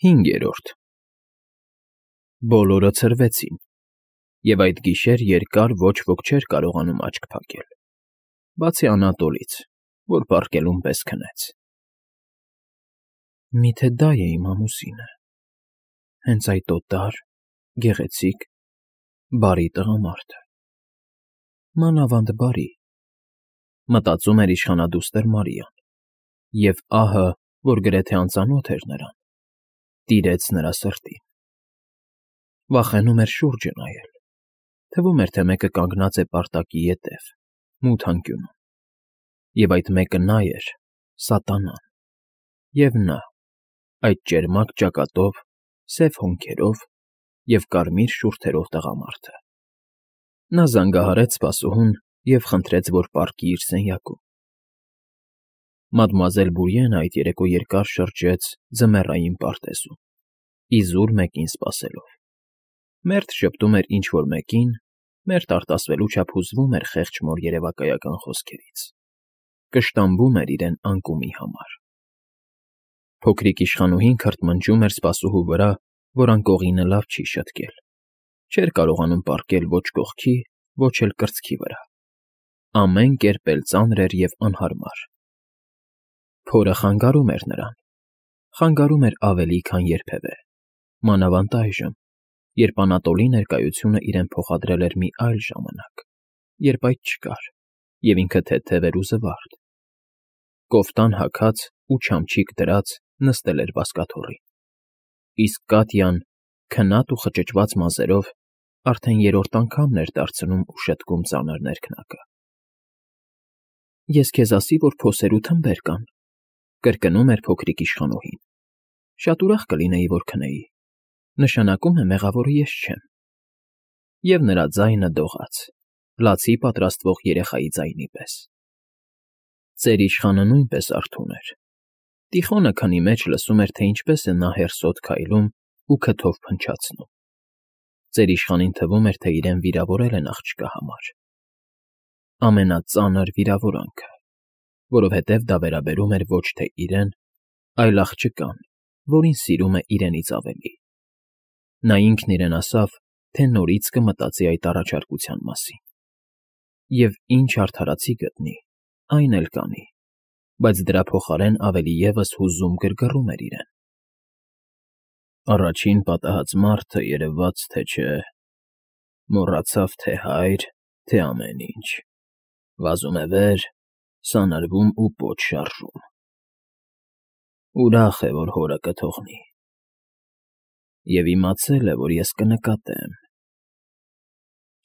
5. Բոլորը ցրվեցին, և այդ գիշեր երկար ոչ ոք չէր կարողանում աչք փակել, բացի Անատոլից, որ պառկելուն պես քնեց։ Միթե դա է իմ ամուսինը, հենց այդ օտար, գեղեցիկ, բարի տղամարդը, մանավանդ բարի, մտածում էր իշխանադուստր Մարիան, և ահը, որ գրեթե անծանոթ էր նրան, տիրեց նրա սրտին։ Վախենում էր շուրջը նայել, թվում էր, թե մեկը կանգնած է պարտակի ետև, մութ անկյունում, և այդ մեկը նա էր, սատանան, և նա, այդ ճերմակ ճակատով, սև հոնքերով և կարմիր շուրթերով տղամարդը։ Նա զանգահարեց սպասուհուն և խնդրեց, որ պառկի իր սենյակում։ Մադմուազել Բուրիենը այդ երեկո երկար շրջեց ձմեռային պարտեզում, իզուր մեկին սպասելով։ Մերթ ժպտում էր ինչ֊որ մեկին, մերթ արտասվելու չափ հուզվում էր խեղճ մոր երևակայական խոսքերից, կշտամբում էր իրեն անկումի համար։ Փոքրիկ իշխանուհին քրթմնջում էր սպասուհու վրա, որ անկողինը լավ չի շտկել, չէր կարողանում պառկել ոչ կողքի, ոչ էլ կրծքի վրա, ամեն կերպ էլ ծանր էր և անհարմար։ Փորը խանգարում էր նրան, խանգարում էր ավելի, քան երբևէ, մանավանդ այժմ, երբ Անատոլի ներկայությունը իրեն փոխադրել էր մի այլ ժամանակ, երբ այդ չկար, և ինքը թեթև էր ու զվարթ։ Կոֆտան հագած ու չամչիկ դրած նստել էր բազկաթոռին, իսկ Կատյան, քնած ու խճճված մազերով, արդեն երրորդ անգամն էր դարձնում ու շտկում ծանր ներքնակը։ Ես քեզ ասի, որ փոսեր ու թմբեր կան, կրկնում էր փոքրիկ իշխանուհին, շատ ուրախ կլինեի, որ քնեի, նշանակում է մեղավորը ես չեմ։ Եվ նրա ձայնը դողաց, լացի պատրաստվող երեխայի ձայնի պես։ Ծեր իշխանը նույնպես արթուն էր։ Տիխոնը քնի մեջ լսում էր, թե ինչպես է նա հերսոտ քայլում ու քթով փնչացնում։ Ծեր իշխանին թվում էր, թե իրեն վիրավորել են աղջկա համար։ Ամենածանր վիրավորանքը, որովհետև դա վերաբերում էր ոչ թե իրեն, այլ աղջկան, որին սիրում է իրենից ավելի։ Նա ինքն իրեն ասավ, թե նորից կմտածի այդ առաջարկության մասին։ Եվ ինչ արդարացի գտնի, այն էլ կանի, բայց դրա փոխարեն ավելի ևս հուզում գրգռում էր իրեն։ Առաջին պատահած մարդը, երևաց թե չէ, մոռացավ թե հայր, թե ամեն ինչ, վազում է վեր, սանրվում ու պոչ շարժում։ Ուրախ է, որ հորը կթողնի։ Եվ իմացել է, որ ես կնկատեմ։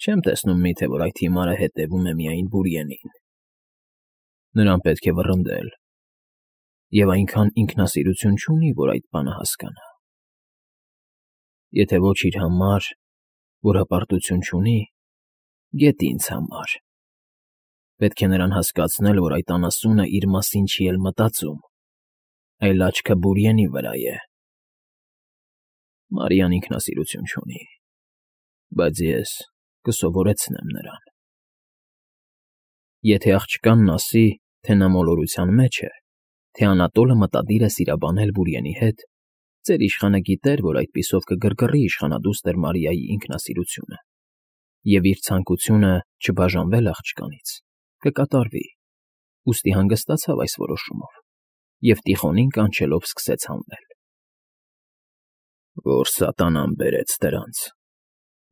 Չեմ տեսնում միթե, որ այդ հիմարը հետևում է միայն Բուրիենին։ Նրան պետք է վռնդել, և այնքան ինքնասիրություն չունի, որ այդ բանը հասկանա։ Եթե ոչ իր համար, որ հպարտություն չունի, գեթ ինձ համար։ Պետք է նրան հասկացնել, որ այդ անասունը իր մասին չի էլ մտածում, այլ աչքը Բուրիենի վրա է։ Մարիան ինքնասիրություն չունի, բայց ես կսովորեցնեմ նրան։ Եթե աղջկանն ասի, թե նա մոլորության մեջ է, թե Անատոլը մտադիր է սիրաբանել Բուրիենի հետ, ծեր իշխանը գիտեր, որ այդպիսով կգրգռի իշխանադուստր Մարիայի ինքնասիրությունը, և իր ցանկությունը չբաժանվել աղջկանից կկատարվի, ուստի հանգստացավ այս որոշումով և Տիխոնին կանչելով սկսեց հանվել։ Որ սատանան բերեց դրանց,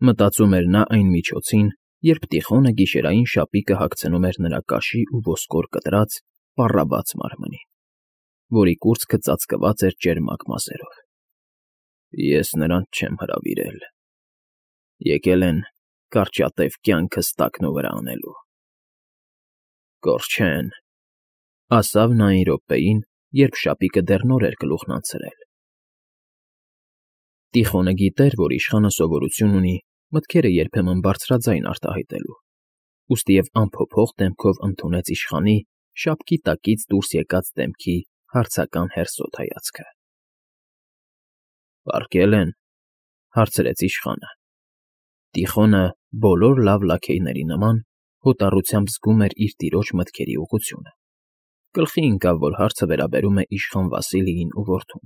մտածում էր նա այն միջոցին, երբ Տիխոնը գիշերային շապիկը հագցնում էր նրա կաշի ու ոսկոր կտրած, պառավաց մարմնին, որի կուրծքը ծածկված էր ճերմակ մազերով։ Ես նրանց չեմ հրավիրել։ Եկել են կարճատև կյանքս տակնուվրա անելու։ Կորչեն, ասավ նա այն րոպեին, երբ շապիկը դեռ նոր էր գլուխն անցրել։ Տիխոնը գիտեր, որ իշխանը սովորություն ունի մտքերը երբեմն բարձրաձայն արտահայտելու, ուստիև անփոփոխ դեմքով ընդունեց իշխանի շապքի տակից դուրս եկած դեմքի հարցական հերսոտ հայացքը։ Պառկել են, հարցրեց իշխանը։ Տիխոնը, բոլոր լավ լաքեյների նման, հոտառությամբ զգում էր իր տիրոջ մտքերի ուղղությունը։ Գլխի ընկավ, որ հարցը վերաբերում է իշխան Վասիլիին ու որդուն։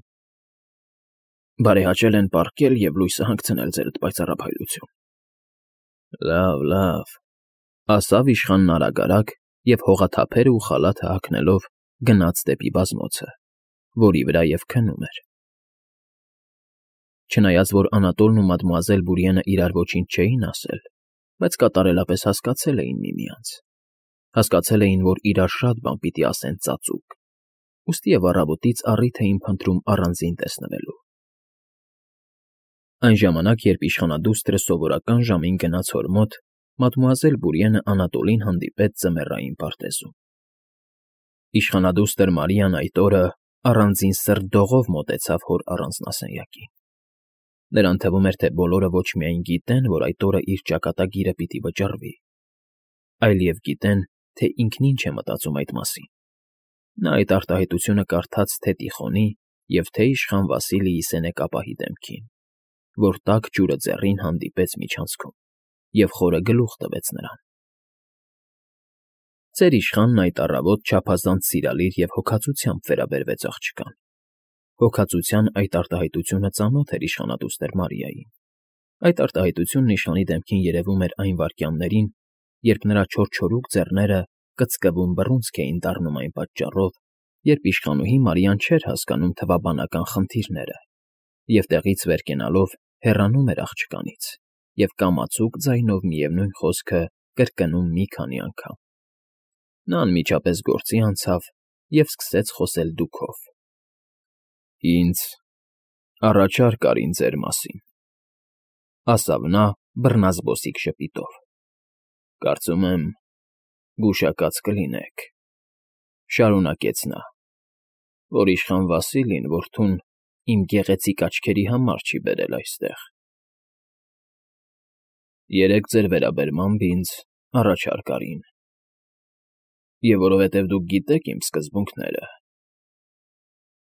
Բարեհաճել են պառկել և լույսը հանգցնել ձերդ պայծառափայլություն։ Լավ, ասավ իշխանն արագ և հողաթափերը ու խալաթը հագնելով գնաց դեպի բազմոցը, որի վրա և քնում էր։ Չնայած որ Անատոլն ու մադմուազել Բուրիենը իրար ոչինչ չէին ասել, բայց կատարելապես հասկացել էին միմյանց, հասկացել էին, որ իրար շատ բան պիտի ասեն ծածուկ, ուստի և առավոտից առիթ էին փնտրում առանձին տեսնվելու։ Այն ժամանակ, երբ իշխանադուստրը սովորական ժամին գնաց հոր մոտ, մադմուազել Բուրիենը Անատոլին հանդիպեց ձմեռային պարտեզում։ Իշխանադուստր Մարիան այդ օրը առանձին սրտդողով մոտեցավ հոր առանձնասենյակին։ Նրան թվում էր, թե բոլորը ոչ միայն գիտեն, որ այդ օրը իր ճակատագիրը պիտի վճռվի, այլև գիտեն, թե ինքն ինչ է մտածում այդ մասին։ Նա այդ արտահայտությունը կարդաց թե Տիխոնի և թե իշխան Վասիլիի սենեկապահի դեմքին, որ տաք ջուրը ձեռին հանդիպեց միջանցքում և խորը գլուխ տվեց նրան։ Ծեր իշխանն այդ առավոտ չափազանց սիրալիր և հոգածությամբ վերաբերվեց աղջկան։ Հոգածության այդ արտահայտությունը ծանոթ էր իշխանադուստր Մարիային։ Այդ արտահայտությունն իշխանի դեմքին երևում էր այն վայրկյաններին, երբ նրա չորչորուկ ձեռները կծկվում բռունցք էին դառնում այն պատճառով, երբ իշխանուհի Մարիան չէր հասկանում թվաբանական խնդիրները և տեղից վեր կենալով հեռանում էր աղջկանից և կամացուկ ձայնով միևնույն խոսքը կրկնում մի քանի անգամ։ Նա անմիջապես գործի անցավ և սկսեց խոսել դուքով. «Ինձ առաջարկ արին ձեր մասին», ասավ նա բռնազբոսիկ ժպիտով։ «Կարծում եմ, գուշակած կլինեք», շարունակեց նա, «որ իշխան Վասիլին որդուն իմ գեղեցիկ աչքերի համար չի բերել այստեղ։ Երեկ ձեր վերաբերմամբ ինձ առաջարկ արին, և որովհետև դուք գիտեք իմ սկզբունքները,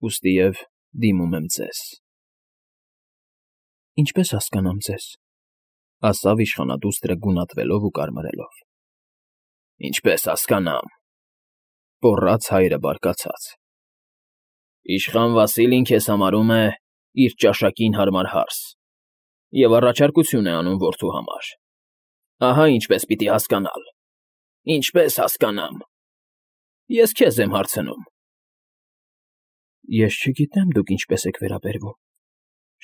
ուստիև դիմում եմ ձեզ»։ «Ինչպե՞ս հասկանամ ձեզ», ասավ իշխանադուստրը գունատվելով ու կարմրելով։ «Ինչպե՞ս հասկանամ,֊ գոռաց հայրը բարկացած,֊ իշխան Վասիլին քեզ համարում է իր ճաշակին հարմար հարս և առաջարկություն է անում որդու համար։ Ահա ինչպես պիտի հասկանալ, ինչպես հասկանամ… Ես քեզ եմ հարցնում»։ «Ես չգիտեմ դուք ինչպես եք վերաբերվում,֊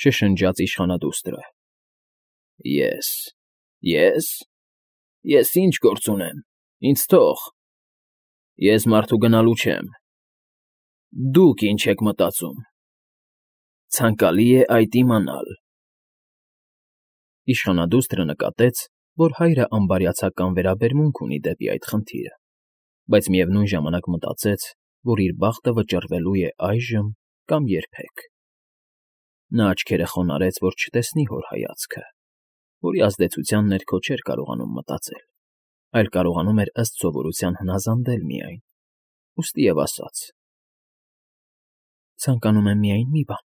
շշնջաց իշխանադուստրը։ Ես ինչ գործ ունեմ, ինձ թող… Ես մարդու գնալու չեմ… Դուք ինչ եք մտածում… Ցանկալի է այդ իմանալ»։ Իշխանադուստրը նկատեց, որ հայրը անբարյացակամ վերաբերմունք ունի դեպի այդ խնդիրը, բայց միևնույն ժամանակ մտածեց, որ իր բախտը վճռվելու է այժմ կամ երբեք։ Նա աչքերը խոնարհեց, որ չտեսնի հոր հայացքը, որի ազդեցության ներքո չէր կարողանում մտածել, այլ կարողանում էր ըստ սովորության հնազանդել միայն, ուստիև ասաց. «Ցանկանում եմ միայն մի բան…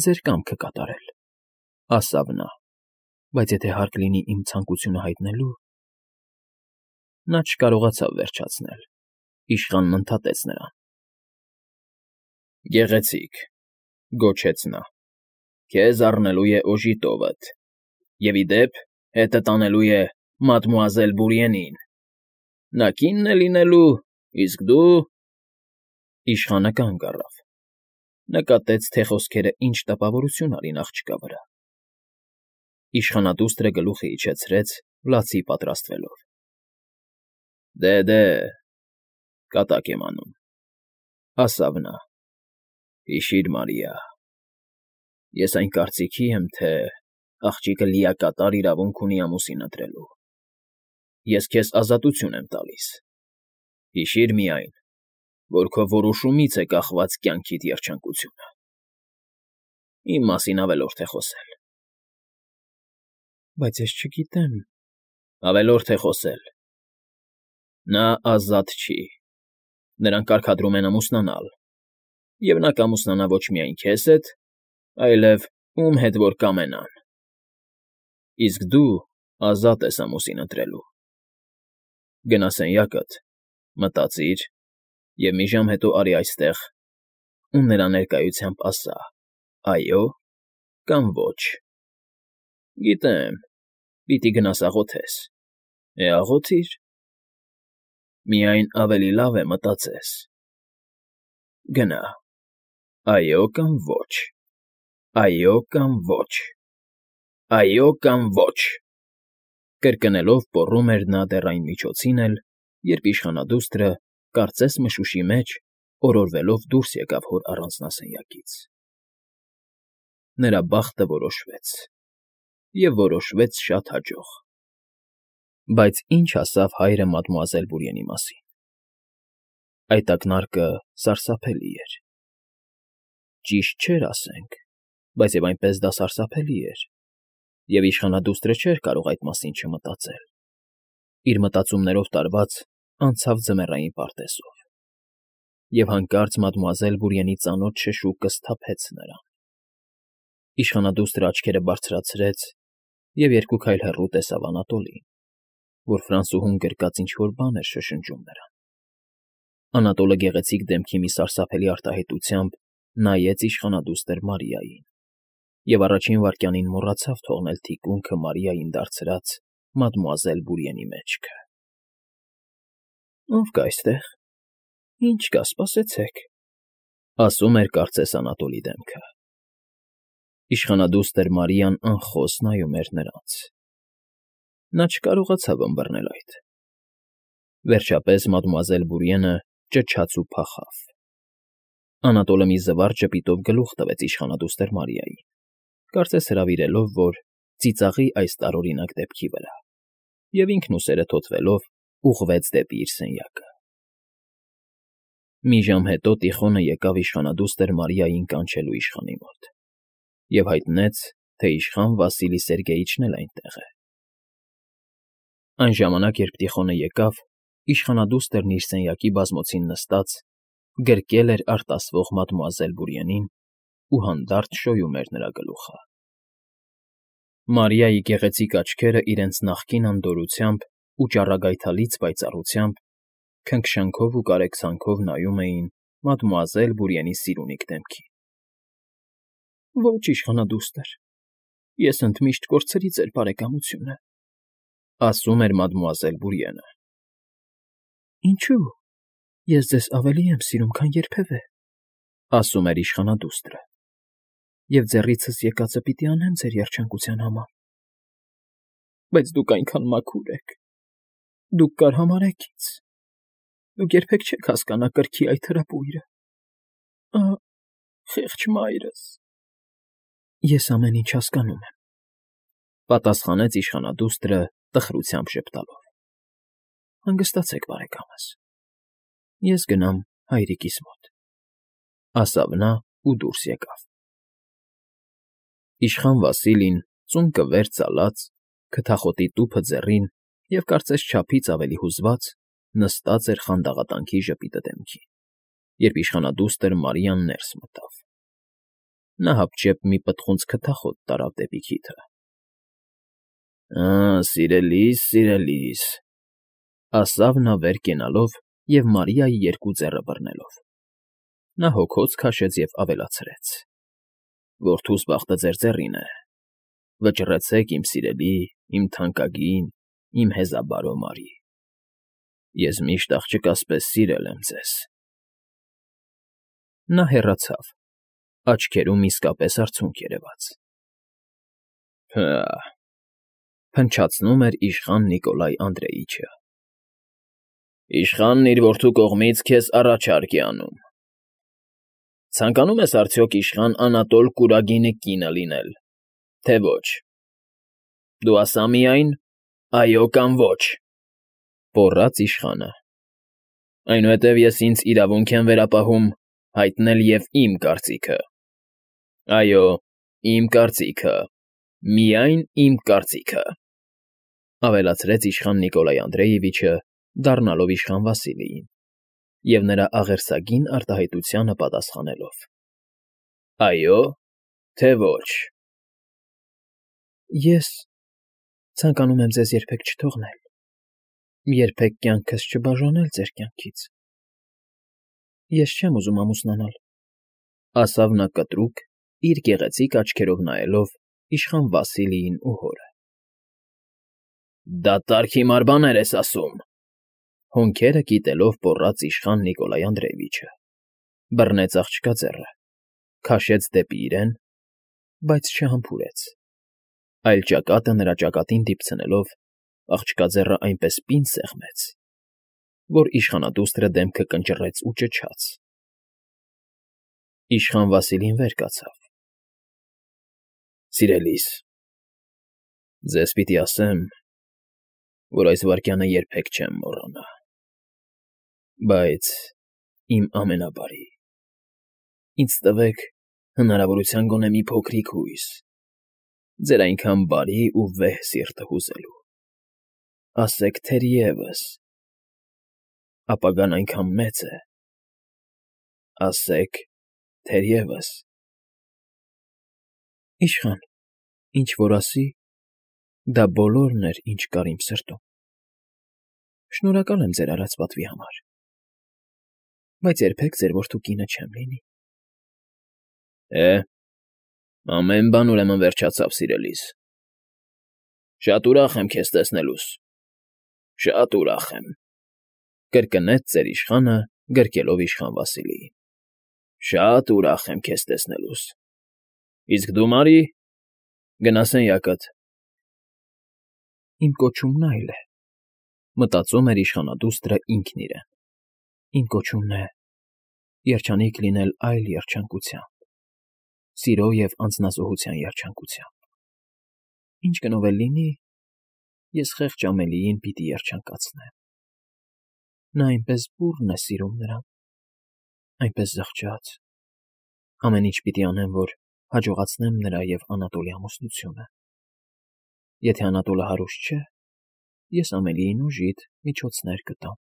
ձեր կամքը կատարել», ասավ նա, «բայց եթե հարկ լինի իմ ցանկությունը հայտնելու…»։ Նա չկարողացավ վերջացնել, իշխանն ընդհատեց նրան. «Գեղեցիկ,֊ գոչեց նա,֊ քեզ առնելու է օժի տովդ և, ի դեպ, հետդ անելու է մադմուազել Բուրիենին… Նա կինն է լինելու, իսկ դու…»։ Իշխանը կանգ առավ, նկատեց, թե խոսքերը ինչ տպավորություն արին աղջկա վրա։ Իշխանադուստրը գլուխը իջեցրեց, լացի պատրաստվելով։ Դե, կատակ եմ անում,֊ ասավ նա,֊ հիշիր, Մարիա, ես այն կարծիքի եմ, թե աղջիկը լիակատար իրավունք ունի ամուսին ընտրելու։ Ես քեզ ազատություն եմ տալիս… Հիշիր միայն, որ քո որոշումից է կախված կյանքիդ երջանկությունը… Իմ մասին ավելորդ է խոսել։ «Բայց ես չգիտեմ…» «Ավելորդ է խոսել… Նա ազատ չի… Նրան կարգադրում են ամուսնանալ, և նա կամուսնանա ոչ միայն քեզ հետ, այլև ում հետ որ կամենան… Իսկ դու ազատ ես ամուսին ընտրելու… Գնա սենյակդ, մտածիր և մի ժամ հետո արի այստեղ ու նրա ներկայությամբ ասա, Այո կամ ոչ։ Գիտեմ, պիտի գնաս աղոթես։ Աղոթիր։ Միայն ավելի լավ է մտածես։ Գնա։ Այո կամ ոչ։ Այո կամ ոչ։ Այո կամ ոչ։ Կրկնելով պոռում էր նա դեռ այն միջոցին էլ, երբ իշխանադուստրը, կարծես մշուշի մեջ, օրորվելով դուրս եկավ հոր առանձնասենյակից։ Նրա բախտը որոշվեց, և որոշվեց շատ հաջող։ Բայց ինչ ասավ հայրը մադմուազել Բուրիենի մասին։ Այդ ակնարկը սարսափելի էր։ Ճիշտ չէր, ասենք, բայց և այնպես դա սարսափելի էր, և իշխանադուստրը չէր կարող այդ մասին չմտածել։ Իր մտածումներով տարված անցավ ձմեռային պարտեզով, և հանկարծ մադմուազել Բուրիենի ծանոթ շշուկը սթափեց նրան։ Իշխանադուստրը աչքերը բարձրացրեց և երկու քայլ հեռու տեսավ Անատոլին, որ ֆրանսուհուն գրկած ինչ֊որ բան էր շշնջում նրան։ Անատոլը գեղեցիկ դեմքի մի սարսափելի արտահայտությամբ նայեց իշխանադուստր Մարիային և առաջին վայրկյանին մոռացավ թողնել թիկունքը Մարիային դարձրած մադմուազել Բուրիենի մեջքը։ «Ո՞վ կա այստեղ։ Ինչ կա, սպասեցեք», ասում էր կարծես Անատոլի դեմքը։ Իշխանադուստր Մարիան անխոս նայում էր նրանց։ Նա չկարողացավ ըմբռնել այդ։ Վերջապես մադմուազել Բուրիենը ճչաց ու փախավ։ Անատոլը մի զվարճ ժպիտով գլուխ տվեց իշխանադուստր Մարիային, կարծես հրավիրելով, որ ծիծաղի այս տարօրինակ դեպքի վրա, և ինքն ուսերը թոթվելով ուղղվեց դեպի իր սենյակը։ Մի ժամ հետո Տիխոնը եկավ իշխանադուստր Մարիային կանչելու իշխանի մոտ և հայտնեց, թե իշխան Վասիլի Սերգեյիչն էլ այնտեղ է։ Այն ժամանակ, երբ Տիխոնը եկավ, իշխանադուստրն իր սենյակի բազմոցին նստած գրկել էր արտասվող մադմուազել Բուրիենին ու հանդարտ շոյում էր նրա գլուխը։ Մարիայի գեղեցիկ աչքերը իրենց նախկին անդորրությամբ ու ճառագայթալից պայծառությամբ քնքշանքով ու կարեկցանքով նայում էին մադմուազել Բուրիենի սիրունիկ դեմքին։ «Ո՛չ, իշխանադուստր, ես ընդմիշտ կորցրի ձեր բարեկամությունը», ասում էր մադմուազել Բուրիենը։ «Ինչո՞ւ, ես ձեզ ավելի եմ սիրում, քան երբևէ», ասում էր իշխանադուստրը, «և ձեռիցս եկածը պիտի անեմ ձեր երջանկության համար։ Բայց դուք այնքան մաքուր եք, դուք կարհամարհեք ինձ, դուք երբեք չեք հասկանա կրքի այդ հրապույրը։ Ահ, խեղճ մայրս»։ «Ես ամեն ինչ հասկանում եմ», պատասխանեց իշխանադուստրը տխրությամբ ժպտալով։ «Հանգստացեք, բարեկամս, ես գնամ հայրիկիս մոտ», ասավ նա ու դուրս եկավ։ Իշխան Վասիլին, ծունկը վեր ծալած, քթախոտի տուփը ձեռին և կարծես չափից ավելի հուզված, նստած էր խանդաղատանքի ժպիտը դեմքին, երբ իշխանադուստր Մարիան ներս մտավ։ Նա հապճեպ մի պտղունց քթախոտ տարավ դեպի քիթը։ Սիրելի՛ս, սիրելի՛ս, ասավ նա վեր կենալով և Մարիայի երկու ձեռը բռնելով։ Նա հոգոց քաշեց և ավելացրեց. «Որդուս բախտը ձեր ձեռին է։ Վճռեցեք, իմ սիրելի, իմ թանկագին, իմ հեզաբարո Մարի։ Ես միշտ աղջկաս պես սիրել եմ ձեզ»։ Նա հեռացավ, աչքերում իսկապես արցունք երևաց։ «Փահ», փնչացնում էր իշխան Նիկոլայ Անդրեիչը։ «Իշխանն իր որդու կողմից քեզ առաջարկ է անում։ Ցանկանում ես արդյոք իշխան Անատոլ Կուրագինի կինը լինել, թե ոչ։ Դու ասա միայն՝ այո կամ ոչ», պոռաց իշխանը։ «Այնուհետև ես ինձ իրավունք եմ վերապահում հայտնել և իմ կարծիքը։ Այո, իմ կարծիքը, միայն իմ կարծիքը», ավելացրեց իշխան Նիկոլայ Անդրեևիչը, դառնալով իշխան Վասիլիին և նրա աղերսագին արտահայտությանը պատասխանելով. «Այո, թե ոչ»։ «Ես ցանկանում եմ ձեզ երբեք չթողնել, երբեք կյանքս չբաժանել ձեր կյանքից։ Ես չեմ ուզում ամուսնանալ», ասավ նա կտրուկ իր գեղեցիկ աչքերով նայելով իշխան Վասիլիին ու հորը։ ֊ Դատարկ հիմար բաներ ես ասում,֊ հոնքերը կիտելով պոռաց իշխան Նիկոլայ Անդրեևիչը, բռնեց աղջկա ձեռը, քաշեց դեպի իրեն, բայց չհամբուրեց, այլ ճակատը նրա ճակատին դիպցնելով աղջկա ձեռը այնպես պինդ սեղմեց, որ իշխանադուստրը դեմքը կնճռեց ու ճչաց։ Իշխան Վասիլին վեր կացավ։ ֊ Սիրելիս, ձեզ պիտի ասեմ, որ այս վայրկյանը երբեք չեմ մոռանա, բայց իմ ամենաբարի, ինձ տվեք հնարավորության գոնե մի փոքրիկ հույս, ձեր այնքան բարի ու վեհ սիրտը հուզելու, ասեք թերևս, ապագան այնքան մեծ է, ասեք թերևս… Իշխան, ինչ որ ասի, դա բոլորն էր, ինչ կար իմ սրտում… Շնորհակալ եմ ձեր արած պատվի համար, բայց երբեք ձեր որդու կինը չեմ լինի։ ֊ Ամեն բան ուրեմն վերջացավ, սիրելիս… Շատ ուրախ եմ քեզ տեսնելուս, շատ ուրախ եմ,֊ կրկնեց ծեր իշխանը, գրկելով իշխան Վասիլիին։֊ Շատ ուրախ եմ քեզ տեսնելուս… Իսկ դու, Մարի, գնա սենյակդ… Իմ կոչումն այլ է,֊ մտածում էր իշխանադուստրը ինքն իրեն։֊ Իմ կոչումն է երջանիկ լինել այլ երջանկությամբ, սիրո և անձնազոհության երջանկությամբ… Ինչ գնով էլ լինի, ես խեղճ Ամելիին պիտի երջանկացնեմ… Նա այնպես բուռն է սիրում նրան, այնպես զղջաց… Ամեն ինչ պիտի անեմ, որ հաջողացնեմ նրա և Անատոլի ամուսնությունը… Եթե Անատոլը հարուստ չէ, ես Ամելիին ուժիտ միջոցներ կտամ…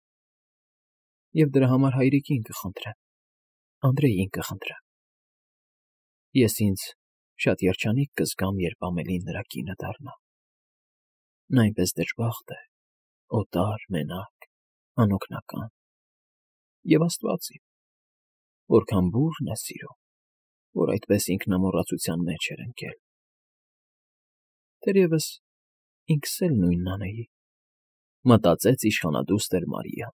Եվ դրա համար հայրիկին կխնդրեմ, Անդրեյին կխնդրեմ… Ես ինձ շատ երջանիկ կզգամ, երբ Ամելին նրա կինը դառնա… Նա այնպես դժբախտ է, օտար, մենակ, անօգնական… Եվ աստված իմ, որքան բուռն է սիրում, որ այդպես ինքնամոռացության մեջ էր ընկել… Թերևս ինքս էլ նույնն անեի, մտածեց իշխանադուստր Մարիան։